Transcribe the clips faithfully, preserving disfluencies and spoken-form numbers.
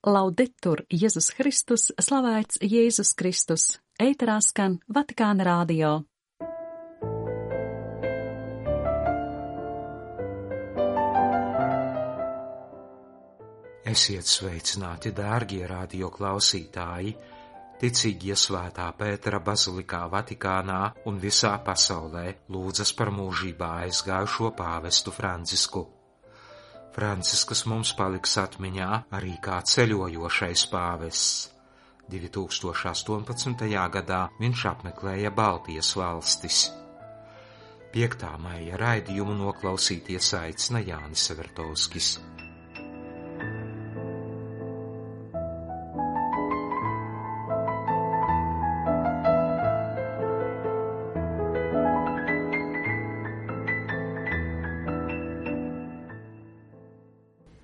Laudetur Jēzus Kristus, slavēts Jēzus Kristus, ēterā skan Vatikāna radio. Esiet sveicināti, dārgie radio klausītāji, ticīgie Svētā Pētera bazilikā Vatikānā un visā pasaulē lūdzas par mūžībā aizgājušo pāvestu Francisku. Francisks mums paliks atmiņā arī kā ceļojošais pāvests. divi tūkstoši astoņpadsmitajā gadā viņš apmeklēja Baltijas valstis. piektā maija raidījumu noklausīties aicina Jānis Severtovskis.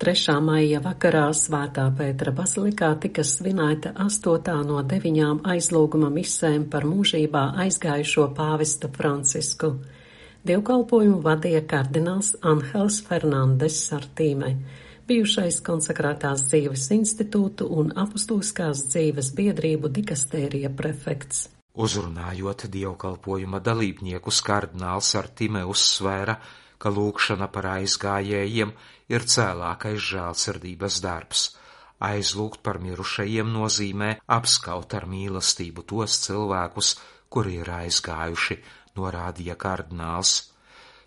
trešā maija vakarā Svētā Pētera bazilikā tika svinēta astotā no deviņām aizlūguma misēm par mūžībā aizgājušo pāvestu Francisku. Dievkalpojumu vadīja kardināls Anhels Fernandes Sartīme, bijušais konsekrētās dzīves institūtu un apustuliskās dzīves biedrību dikastērija prefekts. Uzrunājot dievkalpojuma dalībniekus, kardināls Sartīme uzsvēra, ka lūgšana par aizgājējiem ir cēlākais žēlsirdības darbs. Aizlūgt par mirušajiem nozīmē apskaut ar mīlestību tos cilvēkus, kuri ir aizgājuši, norādīja kardināls.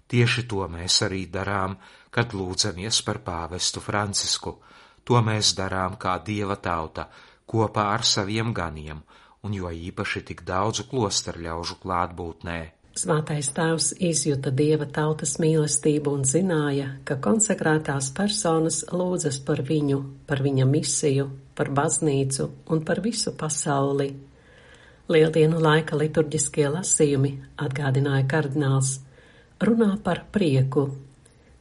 Tieši to mēs arī darām, kad lūdzamies par pāvestu Francisku. To mēs darām kā Dieva tauta, kopā ar saviem ganiem, un jo īpaši tik daudzu klosterļaužu klātbūtnē. Svētais tēvs izjuta Dieva tautas mīlestību un zināja, ka konsekrētās personas lūdzas par viņu, par viņa misiju, par baznīcu un par visu pasauli. Lieldienu laika liturģiskie lasījumi, atgādināja kardināls, runā par prieku.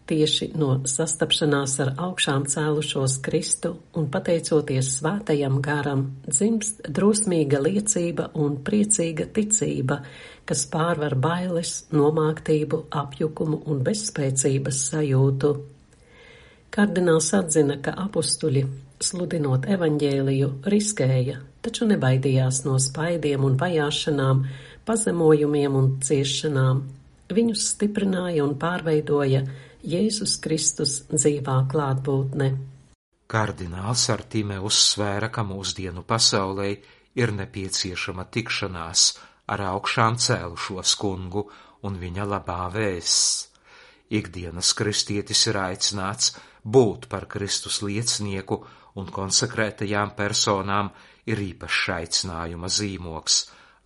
Tieši no sastapšanās ar augšām cēlušos Kristu un pateicoties svētajam garam, dzimst drosmīga liecība un priecīga ticība, kas pārvar bailes, nomāktību, apjukumu un bezspēcības sajūtu. Kardināls atzina, ka apustuļi, sludinot evaņģēliju, riskēja, taču nebaidījās no spaidiem un vajāšanām, pazemojumiem un ciešanām. Viņus stiprināja un pārveidoja Jēzus Kristus dzīvā klātbūtne. Kardināls Sartīme uzsvēra, ka mūsdienu pasaulē ir nepieciešama tikšanās ar augšām cēlušos kungu un viņa labā vēsts. Ikdienas kristietis ir aicināts būt par Kristus liecinieku, un konsekrētajām personām ir īpašs aicinājuma zīmoks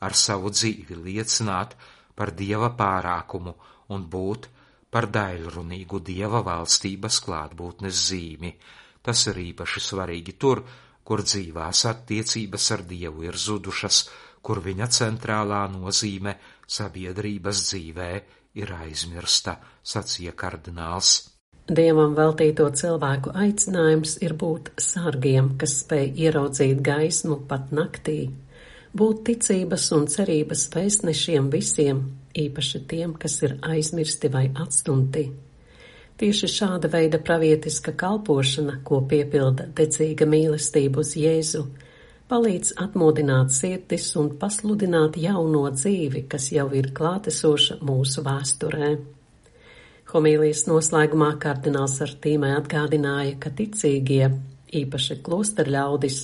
ar savu dzīvi liecināt par Dieva pārākumu un būt par daļrunīgu Dieva valstības klātbūtnes zīmi. Tas ir īpaši svarīgi tur, kur dzīvās attiecības ar Dievu ir zudušas, kur viņa centrālā nozīme sabiedrības dzīvē ir aizmirsta, sacīja kardināls. Dievam veltīto cilvēku aicinājums ir būt sargiem, kas spēj ieraudzīt gaismu pat naktī, būt ticības un cerības vēstnešiem visiem, īpaši tiem, kas ir aizmirsti vai atstumti. Tieši šāda veida pravietiska kalpošana, ko piepilda dedzīga mīlestība uz Jēzu, palīdz atmodināt sirdis un pasludināt jauno dzīvi, kas jau ir klātesoša mūsu vēsturē. Homīlijas noslēgumā kardināls Sartīme atgādināja, ka ticīgie, īpaši klosterļaudis,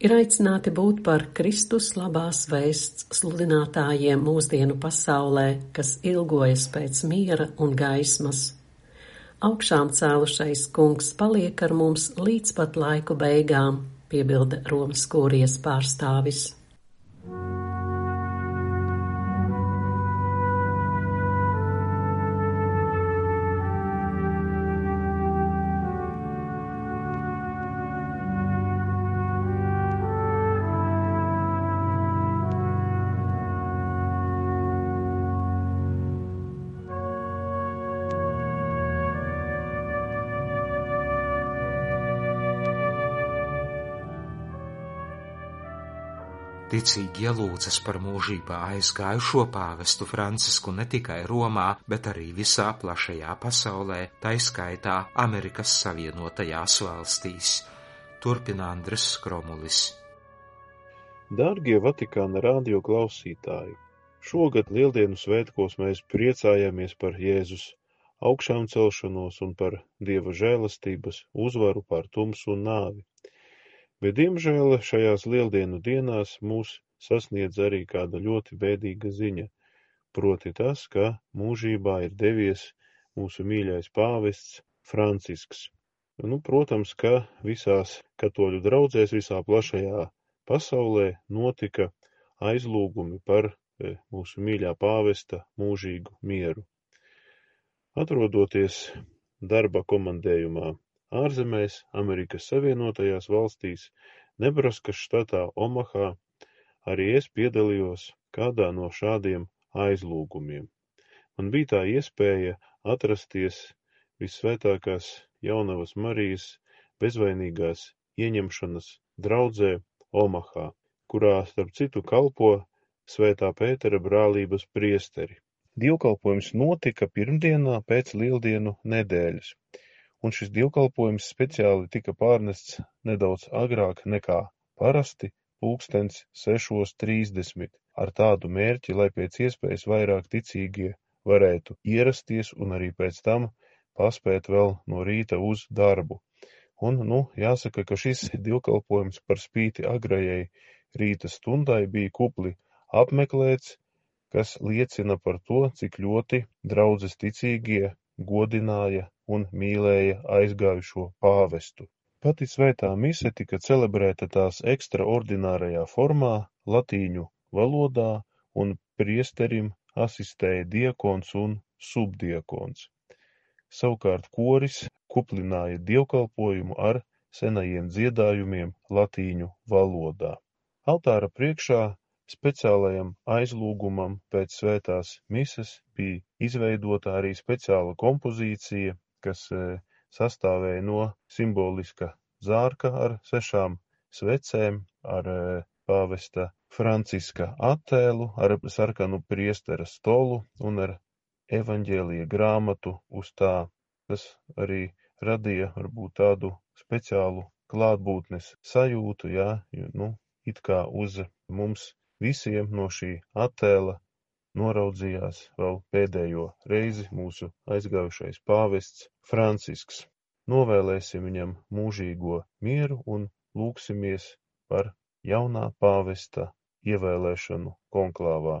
ir aicināti būt par Kristus labās vēsts sludinātājiem mūsdienu pasaulē, kas ilgojas pēc miera un gaismas. Augšām cēlušais kungs paliek ar mums līdz pat laiku beigām, piebilda Romas kūrijas pārstāvis. Ticīgie lūdzas par mūžībā aizgājušo pāvestu Francisku ne tikai Romā, bet arī visā plašajā pasaulē, tai skaitā Amerikas Savienotajās valstīs. Turpina Andris Skromulis. Dārgie Vatikāna radio klausītāji, šogad Lieldienu svētkos mēs priecājamies par Jēzus augšām celšanos un par Dieva žēlastības uzvaru pār tumsu un nāvi. Bet, diemžēl, šajās Lieldienu dienās mūs sasniedz arī kāda ļoti bēdīga ziņa, proti tas, ka mūžībā ir devies mūsu mīļais pāvests Francisks. Nu, protams, ka visās katoļu draudzēs visā plašajā pasaulē notika aizlūgumi par mūsu mīļā pāvesta mūžīgu mieru. Atrodoties darba komandējumā ārzemēs, Amerikas Savienotajās valstīs, Nebraskas štatā Omahā, arī es piedalījos kādā no šādiem aizlūgumiem. Man bija tā iespēja atrasties Vissvētākās Jaunavas Marijas bezvainīgās ieņemšanas draudzē Omahā, kurā, starp citu, kalpo Svētā Pētera brālības priesteri. Dievkalpojums notika pirmdienā pēc Lieldienu nedēļas, un šis dievkalpojums speciāli tika pārnests nedaudz agrāk nekā parasti, pulkstens sešos trīsdesmit, ar tādu mērķi, lai pēc iespējas vairāk ticīgie varētu ierasties un arī pēc tam paspēt vēl no rīta uz darbu. Un, nu, jāsaka, ka šis dievkalpojums par spīti agrajai rīta stundai bija kupli apmeklēts, kas liecina par to, cik ļoti draudzes ticīgie godināja un mīlēja aizgājušo pāvestu. Pati svētā mise tika celebrēta tās ekstraordinārajā formā, latīņu valodā, un priesterim asistēja diekons un subdiekons. Savukārt koris kuplināja dievkalpojumu ar senajiem dziedājumiem latīņu valodā. Altāra priekšā speciālajam aizlūgumam pēc svētās mises bija izveidota arī speciāla kompozīcija, kas e, sastāvēja no simboliska zārka ar sešām svecēm, ar e, pāvesta Franciska attēlu, ar sarkanu priestera stolu un ar evaņģēlija grāmatu uz tā. Tas arī radīja varbūt tādu speciālu klātbūtnes sajūtu, jā, jo, nu, it kā uz mums visiem no šī attēla noraudzījās vēl pēdējo reizi mūsu aizgājušais pāvests Francisks. Novēlēsim viņam mūžīgo mieru un lūksimies par jaunā pāvesta ievēlēšanu konklāvā.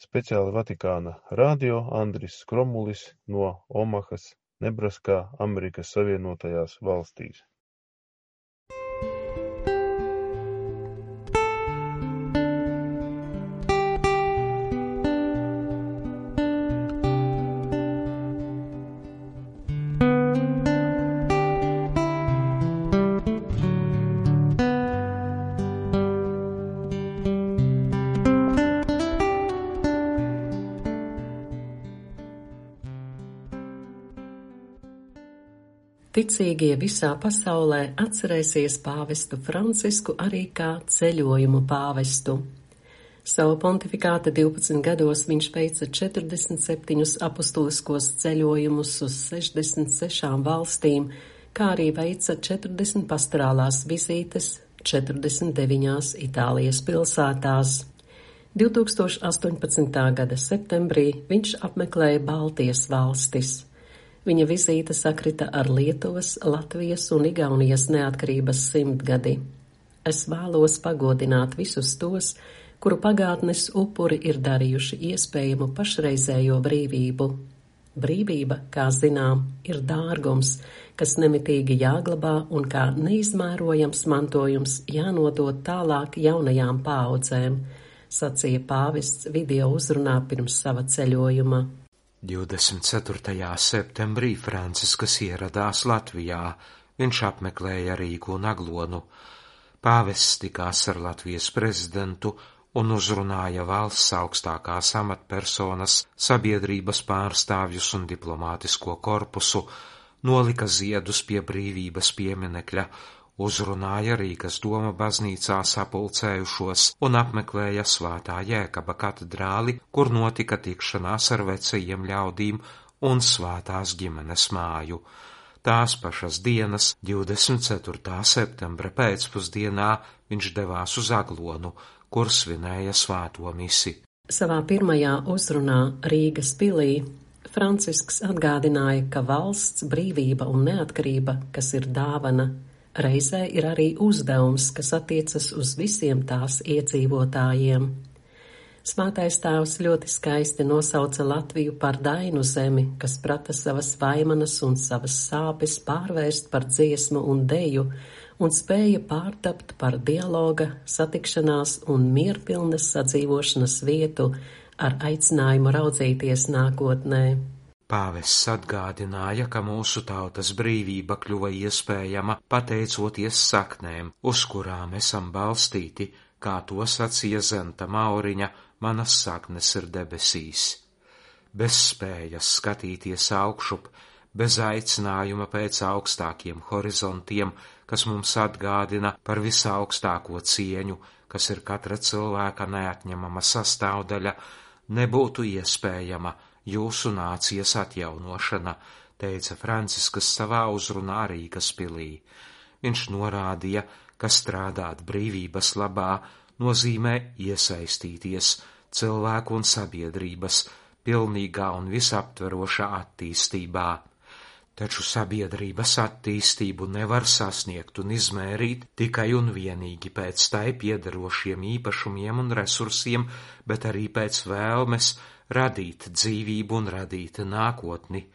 Speciāli Vatikāna radio Andris Skromulis no Omahas, Nebraskā, Amerikas Savienotajās valstīs. Ticīgie visā pasaulē atcerēsies pāvestu Francisku arī kā ceļojumu pāvestu. Savu pontifikāta divpadsmit gados viņš veica četrdesmit septiņus apustuliskos ceļojumus uz sešdesmit sešām valstīm, kā arī veica četrdesmit pastorālās vizītes četrdesmit deviņās Itālijas pilsētās. divtūkstoš astoņpadsmitā gada septembrī viņš apmeklēja Baltijas valstis. Viņa vizīte sakrita ar Lietuvas, Latvijas un Igaunijas neatkarības simtgadi. Es vēlos pagodināt visus tos, kuru pagātnes upuri ir darījuši iespējamu pašreizējo brīvību. Brīvība, kā zinām, ir dārgums, kas nemitīgi jāglabā un kā neizmērojams mantojums jānodod tālāk jaunajām paaudzēm, sacīja pāvests video uzrunā pirms sava ceļojuma. divdesmit ceturtajā septembrī Franciskas ieradās Latvijā. Viņš apmeklēja Rīgu un Aglonu. Pāvests tikās ar Latvijas prezidentu un uzrunāja valsts augstākās amatpersonas, sabiedrības pārstāvjus un diplomātisko korpusu, nolika ziedus pie brīvības pieminekļa, uzrunāja Rīgas doma baznīcā sapulcējušos un apmeklēja Svētā Jēkaba katedrāli, kur notika tikšanās ar vecajiem ļaudīm un svētās ģimenes māju. Tās pašas dienas, divdesmit ceturtā septembra pēcpusdienā, viņš devās uz Aglonu, kur svinēja svēto misi. Savā pirmajā uzrunā Rīgas pilī Francisks atgādināja, ka valsts brīvība un neatkarība, kas ir dāvana, reizē ir arī uzdevums, kas attiecas uz visiem tās iedzīvotājiem. Svētais tēvs ļoti skaisti nosauca Latviju par dainu zemi, kas prata savas vaimanas un savas sāpes pārvērst par dziesmu un deju, un spēja pārtapt par dialoga, satikšanās un mierpilnas sadzīvošanas vietu ar aicinājumu raudzīties nākotnē. Pāvests atgādināja, ka mūsu tautas brīvība kļuva iespējama pateicoties saknēm, uz kurām esam balstīti, kā to sacīja Zenta Mauriņa, manas saknes ir debesīs. Bez spējas skatīties augšup, bez aicinājuma pēc augstākiem horizontiem, kas mums atgādina par visaugstāko cieņu, kas ir katra cilvēka neatņemama sastāvdaļa, nebūtu iespējama jūsu nācijas atjaunošana, teica Francisks savā uzrunā Rīgas pilī. Viņš norādīja, ka strādāt brīvības labā nozīmē iesaistīties cilvēku un sabiedrības pilnīgā un visaptverošā attīstībā. Taču sabiedrības attīstību nevar sasniegt un izmērīt tikai un vienīgi pēc tai piederošiem īpašumiem un resursiem, bet arī pēc vēlmes radīt dzīvību un radīt nākotni.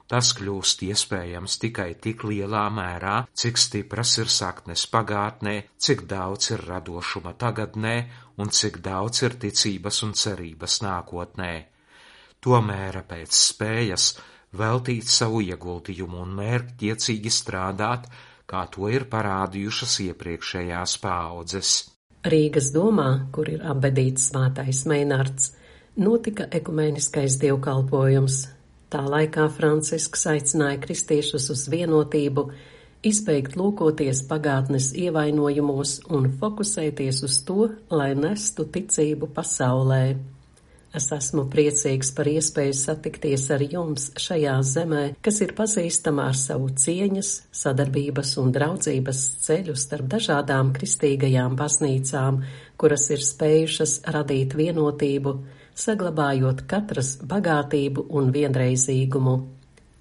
Tas kļūst iespējams tikai tik lielā mērā, cik stipras ir saknes pagātnē, cik daudz ir radošuma tagadnē un cik daudz ir ticības un cerības nākotnē. Tomēr pēc spējas veltīt savu ieguldījumu un mērķtiecīgi strādāt, kā to ir parādījušas iepriekšējās paaudzes. Rīgas domā, kur ir apbedīts svētais Meinards, notika ekumēniskais dievkalpojums. Tā laikā Francisks aicināja kristiešus uz vienotību, izbeigt lūkoties pagātnes ievainojumos un fokusēties uz to, lai nestu ticību pasaulē. Es esmu priecīgs par iespēju satikties ar jums šajā zemē, kas ir pazīstama ar savu cieņas, sadarbības un draudzības ceļu starp dažādām kristīgajām baznīcām, kuras ir spējušas radīt vienotību, saglabājot katras bagātību un vienreizīgumu.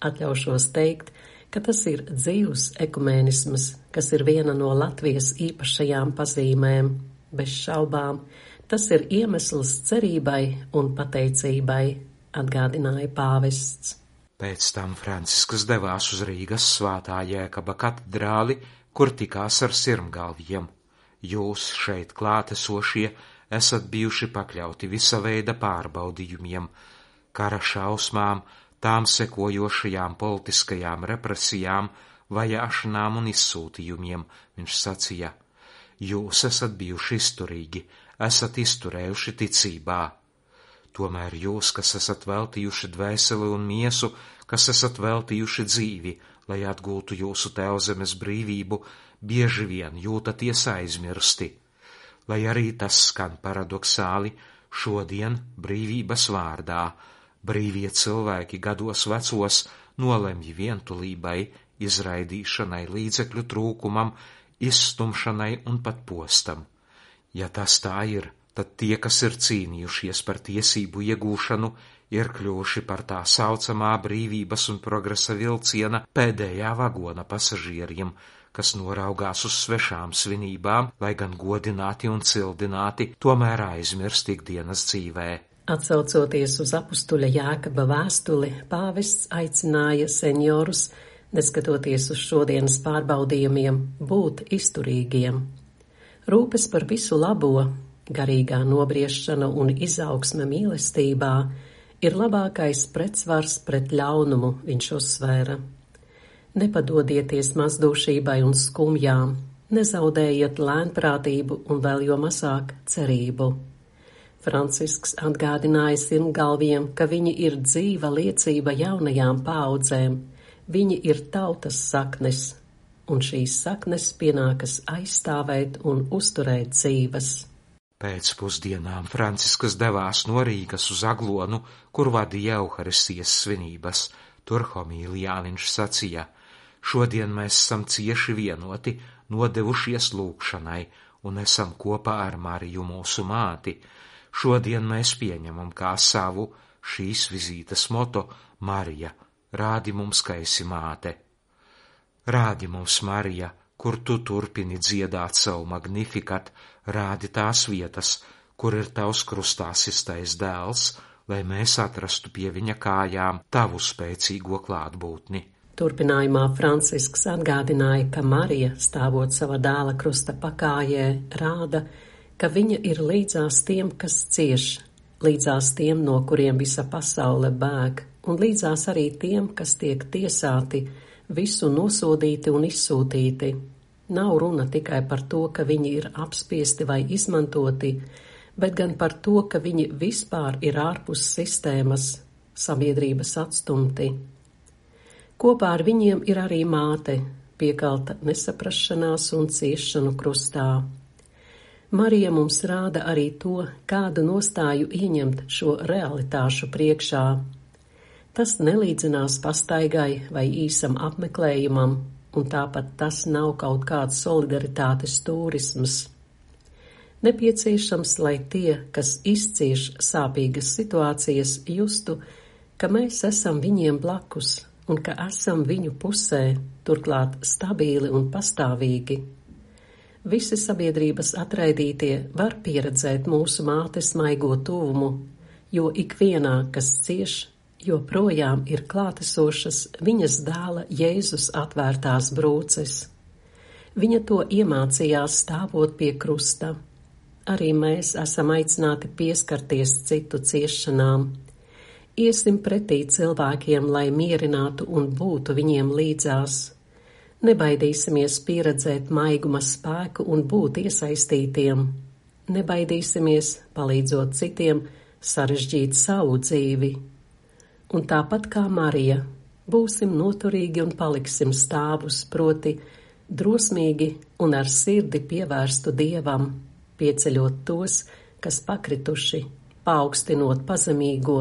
Atļaušos teikt, ka tas ir dzīvs ekumēnisms, kas ir viena no Latvijas īpašajām pazīmēm. Bez šaubām, tas ir iemesls cerībai un pateicībai, atgādināja pāvests. Pēc tam Francisks devās uz Rīgas Svētā Jēkaba katedrāli, kur tikās ar sirmgalviem. Jūs šeit klātesošie esat bijuši pakļauti visa veida pārbaudījumiem, kara šausmām, tām sekojošajām politiskajām represijām, vajāšanām un izsūtījumiem, viņš sacīja. Jūs esat bijuši izturīgi, esat izturējuši ticībā. Tomēr jūs, kas esat veltījuši dvēseli un miesu, kas esat veltījuši dzīvi, lai atgūtu jūsu tēvzemes brīvību, bieži vien jūtaties aizmirsti. Lai arī tas skan paradoksāli, šodien brīvības vārdā brīvie cilvēki gados vecos nolemj vientulībai, izraidīšanai, līdzekļu trūkumam, izstumšanai un pat postam. Ja tas tā ir, tad tie, kas ir cīnījušies par tiesību iegūšanu, ir kļuvuši par tā saucamā brīvības un progresa vilciena pēdējā vagona pasažieriem, kas noraugās uz svešām svinībām, lai gan godināti un cildināti, tomēr aizmirst ikdienas dzīvē. Atsaucoties uz apustuļa Jākaba vēstuli, pāvests aicināja seniorus, neskatoties uz šodienas pārbaudījumiem, būt izturīgiem. Rūpes par visu labo, garīgā nobriešana un izaugsme mīlestībā ir labākais pretsvars pret ļaunumu, viņš uzsvēra. Nepadodieties mazdūšībai un skumjām, nezaudējiet lēnprātību un vēl jo mazāk cerību. Francisks atgādināja sirmgalviem, ka viņi ir dzīva liecība jaunajām paaudzēm, viņi ir tautas saknes, un šīs saknes pienākas aizstāvēt un uzturēt dzīves. Pēc pusdienām Francisks devās no Rīgas uz Aglonu, kur vadīja Euharistijas svinības. Tur homīlijā viņš sacīja: Šodien mēs esam cieši vienoti, nodevušies lūgšanai un esam kopā ar Mariju mūsu māti. Šodien mēs pieņemam kā savu šīs vizītes moto: Marija, rādi mums, ka esi māte. Rādi mums, Marija, kur tu turpini dziedāt savu Magnificat, rādi tās vietas, kur ir tavs krustā sistais dēls, lai mēs atrastu pie viņa kājām tavu spēcīgo klātbūtni. Turpinājumā Francisks atgādināja, ka Marija, stāvot sava dēla krusta pakājē, rāda, ka viņa ir līdzās tiem, kas cieš, līdzās tiem, no kuriem visa pasaule bēg, un līdzās arī tiem, kas tiek tiesāti, visu nosodīti un izsūtīti. Nav runa tikai par to, ka viņi ir apspiesti vai izmantoti, bet gan par to, ka viņi vispār ir ārpus sistēmas, sabiedrības atstumti. Kopā ar viņiem ir arī māte, piekalta nesaprašanās un ciešanu krustā. Marija mums rāda arī to, kādu nostāju ieņemt šo realitāšu priekšā. Tas nelīdzinās pastaigai vai īsam apmeklējumam, un tāpat tas nav kaut kāds solidaritātes turisms. Nepieciešams, lai tie, kas izcieš sāpīgas situācijas, justu, ka mēs esam viņiem blakus un ka esam viņu pusē, turklāt stabili un pastāvīgi. Visi sabiedrības atraidītie var pieredzēt mūsu mātes maigo tuvumu, jo ikvienā, kas cieš, joprojām ir klātesošas viņas dēla Jēzus atvērtās brūces. Viņa to iemācījās stāvot pie krusta. Arī mēs esam aicināti pieskarties citu ciešanām. Iesim pretī cilvēkiem, lai mierinātu un būtu viņiem līdzās. Nebaidīsimies pieredzēt maiguma spēku un būt iesaistītiem. Nebaidīsimies, palīdzot citiem, sarežģīt savu dzīvi. Un tāpat kā Marija, būsim noturīgi un paliksim stāvus, proti drosmīgi un ar sirdi pievērstu Dievam, pieceļot tos, kas pakrituši, paaugstinot pazemīgo,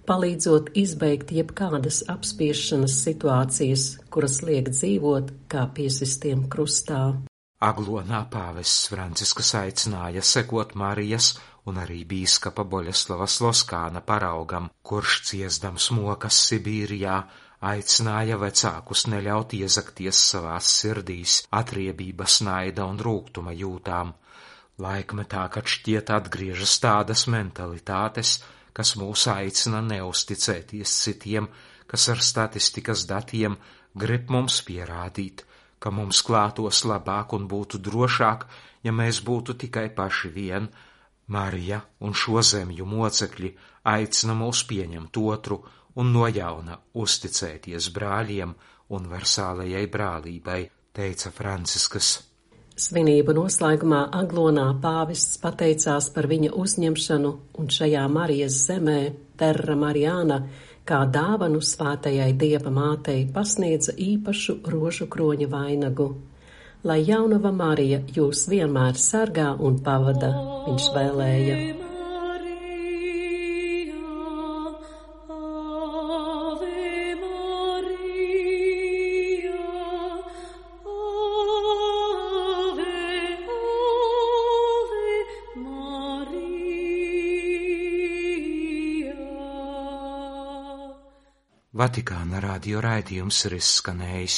palīdzot izbeigt jebkādas apspiešanas situācijas, kuras liek dzīvot kā piesistiem krustā. Aglonā pāvests Francisks aicināja sekot Marijas un arī bīskapa Boļeslava Sloskāna paraugam, kurš ciesdams mokas Sibīrijā aicināja vecākus neļaut iezakties savās sirdīs atriebības, naida un rūgtuma jūtām. Laikmetā, kad šķiet atgriežas tādas mentalitātes, kas mūs aicina neusticēties citiem, kas ar statistikas datiem grib mums pierādīt, ka mums klātos labāk un būtu drošāk, ja mēs būtu tikai paši vien, Marija un šo zemju mocekļi aicina mūs pieņemt otru un no jauna uzticēties brāļiem universālajai brālībai, teica Francisks. Svinību noslēgumā Aglonā pāvests pateicās par viņa uzņemšanu un šajā Marijas zemē Terra Mariana kā dāvanu svētajai Dieva mātei pasniedza īpašu rožu kroņa vainagu. Lai jaunava Marija jūs vienmēr sargā un pavada, viņš vēlēja. Vatikāna radio raidījums ir izskanējis.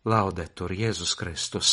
Laudetur Jēzus Kristus!